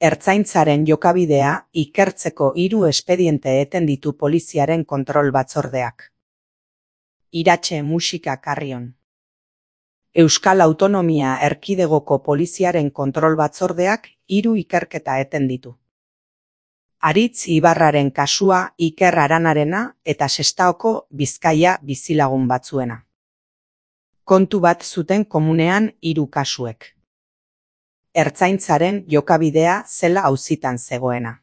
Ertzaintzaren jokabidea ikertzeko 3 espediente eten ditu poliziaren kontrol batzordeak. Iratxe musika Carrion. Euskal Autonomia Erkidegoko poliziaren kontrol batzordeak 3 ikerketa eten ditu. Aritz Ibarraren kasua Iker Aranarena eta Sestaoko Bizkaia bizilagun batzuena. Kontu bat zuten komunean 3 kasuek. Ertzaintzaren jokabidea zela auzitan zegoena.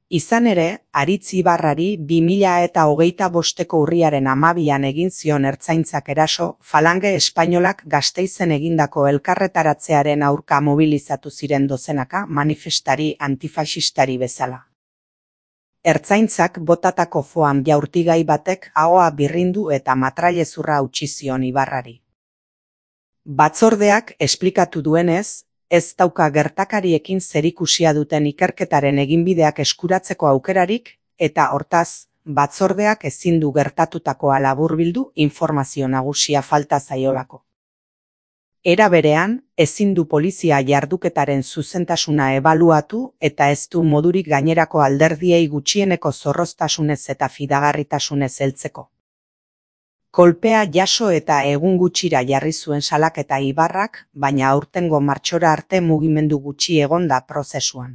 Izan ere, Aritz Ibarrari 2025ko urriaren 12an egin zion Ertzaintzak eraso Falange Espainolak Gasteizen egindako elkarretaratzearen aurka mobilizatu ziren dozenaka manifestari antifaxistari bezala. Ertzaintzak botatako foam jaurtigai batek ahoa birrindu eta matrailezurra hautsi zion Ibarrari. Batzordeak esplikatu duenez, ez dauka gertakariekin zerikusia duten ikerketaren eginbideak eskuratzeko aukerarik, eta hortaz, batzordeak ezin du gertatutakoa laburbildu informazio nagusia falta zaiolako. Era berean, ezin du polizia jarduketaren zuzentasuna ebaluatu eta ez du modurik gainerako alderdiei gutxieneko zorroztasunez eta fidagarritasunez heltzeko. Kolpea jaso eta egun gutxira jarri zuen salaketa Ibarrak, baina aurtengo martxora arte mugimendu gutxi egon da prozesuan.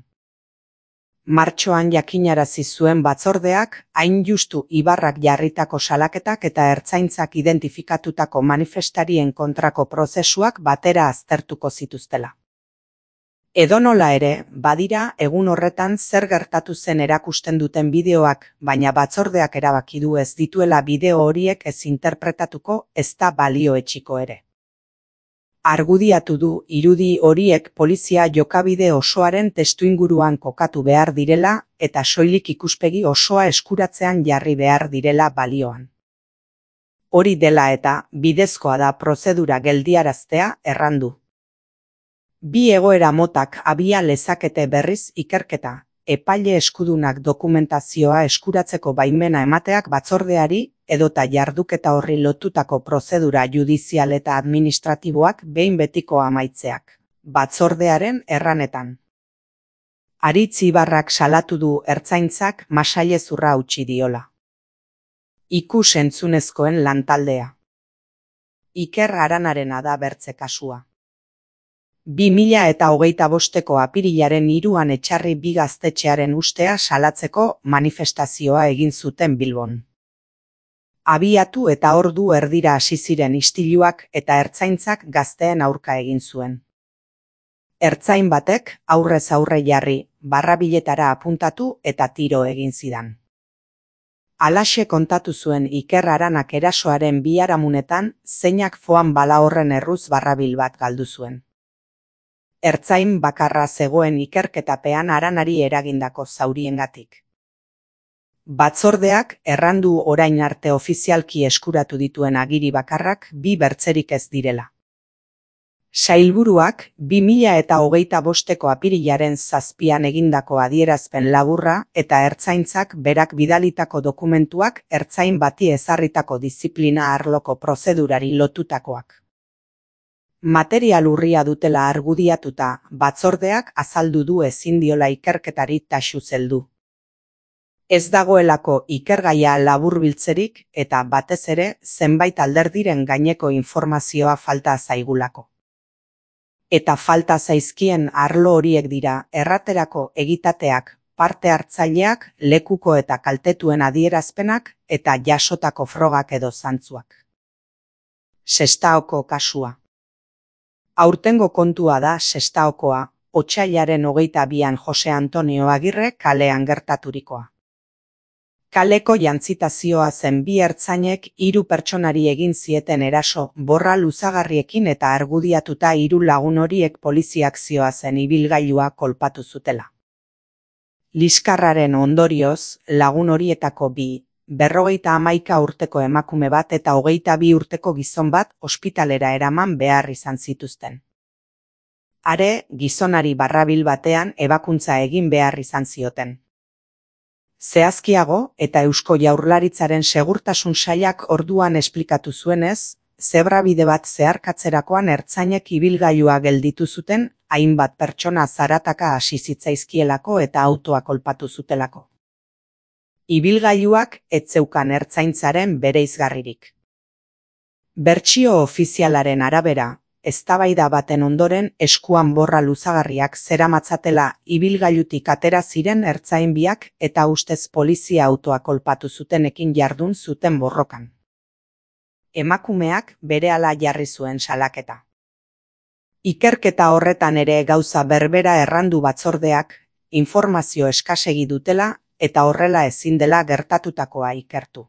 Martxoan jakinarazi zuen batzordeak, hain justu Ibarrak jarritako salaketak eta Ertzaintzak identifikatutako manifestarien kontrako prozesuak batera aztertuko zituztela. Edonola ere, badira egun horretan zer gertatu zen erakusten duten bideoak, baina batzordeak erabaki du ez dituela bideo horiek ez interpretatuko ezta balioetsiko ere. Argudiatu du irudi horiek polizia jokabide osoaren testuinguruan kokatu behar direla eta soilik ikuspegi osoa eskuratzean jarri behar direla balioan. Hori dela eta bidezkoa da prozedura geldiaraztea errandu. 2 egoera motak abia lezakete berriz ikerketa, epaile eskudunak dokumentazioa eskuratzeko baimena emateak batzordeari edota jarduketa horri lotutako prozedura judizial eta administratiboak behin betiko amaitzeak, batzordearen erranetan. Aritz Ibarrak salatu du Ertzaintzak masailezurra hautsi diola. Ikus-entzunezkoen lantaldea. Iker Aranarena da bertze kasua. 2025ko apirilaren 3an Etxarri 2 gaztetxearen ustea salatzeko manifestazioa egin zuten Bilbon. Abiatu eta ordu erdira hasi ziren istiluak eta Ertzaintzak gazteen aurka egin zuen. Ertzain batek aurrez aurre jarri, barrabiletara apuntatu eta tiro egin zidan. Halaxe kontatu zuen Iker Aranak erasoaren biharamunetan zeinak foam bala horren erruz barrabil bat galdu zuen. Ertzain bakarra zegoen ikerketapean Aranari eragindako zauriengatik. Batzordeak errandu orain arte ofizialki eskuratu dituen agiri bakarrak 2 bertzerik ez direla. Sailburuak 2025ko apirilaren 7an egindako adierazpen laburra eta Ertzaintzak berak bidalitako dokumentuak ertzain bati ezarritako diziplina arloko prozedurari lotutakoak. Material urria dutela argudiatuta, batzordeak azaldu du ezin diola ikerketari taxuz heldu. Ez dagoelako ikergaia laburbiltzerik eta batez ere zenbait alderdiren gaineko informazioa falta zaigulako. Eta falta zaizkien arlo horiek dira erraterako egitateak, parte hartzaileak, lekuko eta kaltetuen adierazpenak eta jasotako frogak edo zantzuak. Sestaoko kasua. Aurtengo kontua da Sestaokoa, otsailaren 22an Jose Antonio Agirre kalean gertaturikoa. Kaleko jantzitazioa zen 2 ertzainek 3 pertsonari egin zieten eraso borra luzagarriekin eta argudiatuta 3 lagun horiek poliziak zihoazen ibilgailua kolpatu zutela. Liskarraren ondorioz, lagun horietako 2, 51 urteko emakume bat eta 22 urteko gizon bat ospitalera eraman behar izan zituzten. Are, gizonari barrabil batean ebakuntza egin behar izan zioten. Zehazkiago eta Eusko Jaurlaritzaren segurtasun sailak orduan esplikatu zuenez, zebrabide bat zeharkatzerakoan ertzainek ibilgailua gelditu zuten, hainbat pertsona zarataka hasi zitzaizkielako eta autoa kolpatu zutelako. Ibilgailuak ez zeukan ertzaintzaren bereizgarririk. Bertsio ofizialaren arabera, eztabaida baten ondoren eskuan borra luzagarriak zeramatzatela ibilgailutik atera ziren ertzain biak eta ustez polizia autoa kolpatu zutenekin jardun zuten borrokan. Emakumeak berehala jarri zuen salaketa. Ikerketa horretan ere gauza berbera errandu batzordeak, informazio eskasegi dutela eta horrela ezin dela gertatutakoa ikertu.